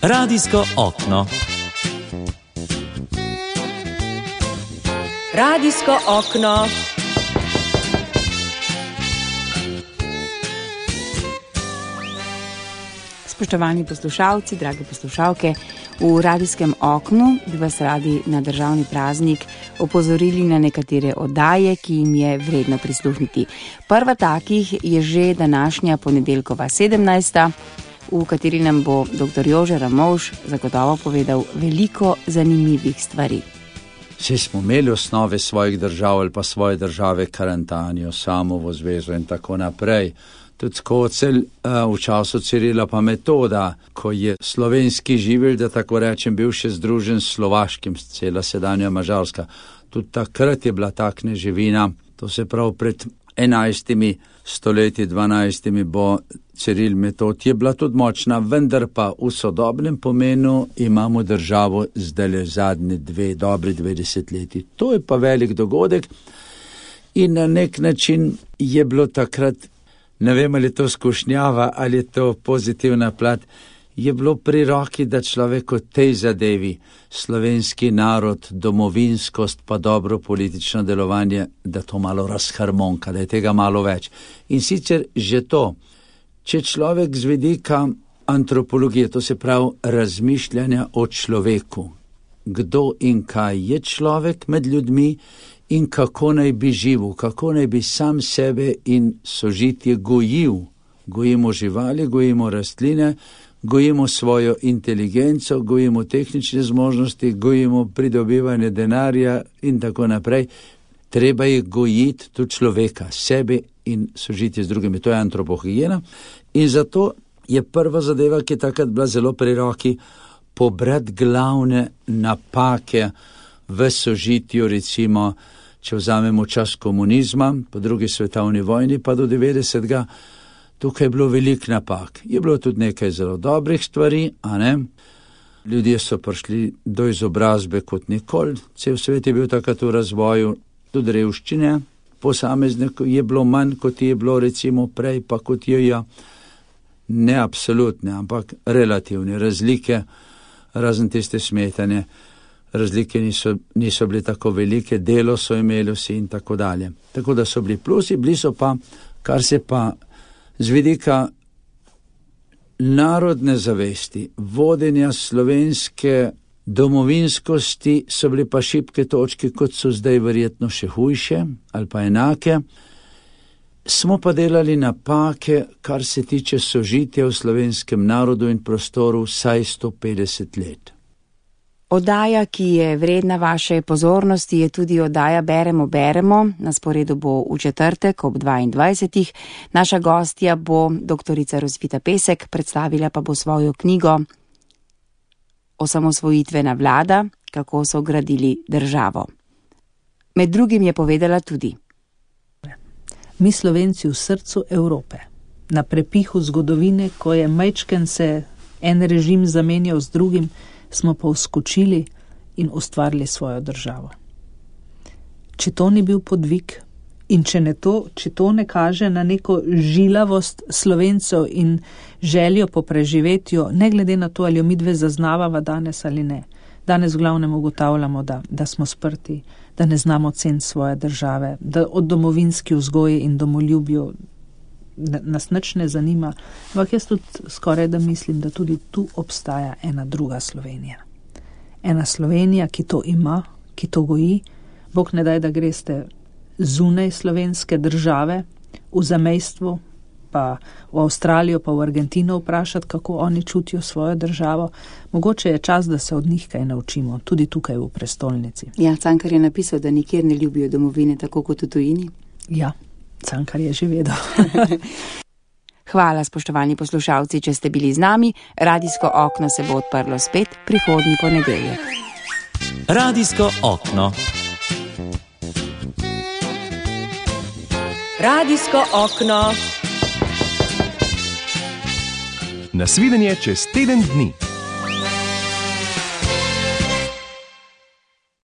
Radijsko okno. Radijsko okno. Spoštovani poslušalci, drage poslušalke, v radijskem oknu bi vas radi na državni praznik opozorili na nekatere oddaje, ki jim je vredno prisluhniti. Prva takih je že današnja ponedeljkova 17., v kateri nam bo dr. Jože Ramovš zagotovo povedal veliko zanimivih stvari. Vsi smo imeli osnove svojih držav ali pa svoje države, Karantanjo, Samovo zvezo in tako naprej. Tudi Skocelj v času Cirila pa Metoda, ko je slovenski živelj, da tako rečem, bil še združen s slovaškim, cela sedanja Mađarska. Tudi takrat je bila ta kneževina, to se pravi pred 11 stoletji, 12 bo Ciril Metod, je bila tudi močna, vendar pa v sodobnem pomenu imamo državo zdaj zadnje dobri 20 leti. To je pa velik dogodek in na nek način je bilo takrat, ne vem, ali je to skušnjava, ali je to pozitivna plat, je bilo pri roki, da človek v tej zadevi, slovenski narod, domovinskost pa dobro politično delovanje, da to malo razharmonka, da je tega malo več. In sicer že to, če človek z vidika antropologije, to se pravi razmišljanja o človeku, kdo in kaj je človek med ljudmi, in kako naj bi živel, kako naj bi sam sebe in sožitje gojil. Gojimo živali, gojimo rastline, gojimo svojo inteligenco, gojimo tehnične zmožnosti, gojimo pridobivanje denarja in tako naprej. Treba je gojiti tudi človeka, sebe in sožitje z drugimi. To je antropohigijena. In zato je prva zadeva, ki je takrat bila zelo pri roki, pobrati glavne napake v sožitju, recimo, če vzamemo čas komunizma, po drugi svetovni vojni, pa do 90. Tukaj je bilo veliko napak. Je bilo tudi nekaj zelo dobrih stvari, a ne? Ljudje so prišli do izobrazbe kot nikoli, cel svet je bil takrat v razvoju, tudi revščine, posameznikov je bilo manj, kot je bilo recimo prej, pa kot je ne absolutne, ampak relativne razlike, razen tiste smetanje. Razlike niso bile tako velike, delo so imeli vsi in tako dalje. Tako da so bili plusi, bili so pa, kar se pa z vidika narodne zavesti, vodenja slovenske domovinskosti, so bili pa šibke točke, kot so zdaj verjetno še hujše ali pa enake. Smo pa delali napake, kar se tiče sožitja v slovenskem narodu in prostoru vsaj 150 let. Oddaja, ki je vredna vaše pozornosti, je tudi oddaja Beremo. Na sporedu bo v četrtek ob 22. Naša gostja bo doktorica Rosvita Pesek, predstavila pa bo svojo knjigo Osamosvojitvena vlada, kako so gradili državo. Med drugim je povedala tudi: Mi Slovenci v srcu Evrope, na prepihu zgodovine, ko je majčken se en režim zamenjal z drugim, smo pa vskočili in ustvarili svojo državo. Če to ni bil podvig in če to ne kaže na neko žilavost Slovencev in željo po preživetju, ne glede na to, ali jo midve zaznavava danes ali ne. Danes v glavnem ugotavljamo, da smo sprti, da ne znamo ceniti svoje države, da od domovinski vzgoji in domoljubju nas nič ne zanima, ampak jaz tudi skoraj da mislim, da tudi tu obstaja ena druga Slovenija. Ena Slovenija, ki to ima, ki to goji. Bog ne daj, da greste zunaj slovenske države, v zamejstvu, pa v Avstralijo, pa v Argentino vprašati, kako oni čutijo svojo državo. Mogoče je čas, da se od njih kaj naučimo, tudi tukaj v prestolnici. Ja, Cankar je napisal, da nikjer ne ljubijo domovine, tako kot v tujini. Ja. Cankar je že vedel. Hvala, spoštovani poslušalci, če ste bili z nami. Radijsko okno se bo odprlo spet prihodnji ponedeljek. Radijsko okno. Radijsko okno. Nasvidenje čez teden dni.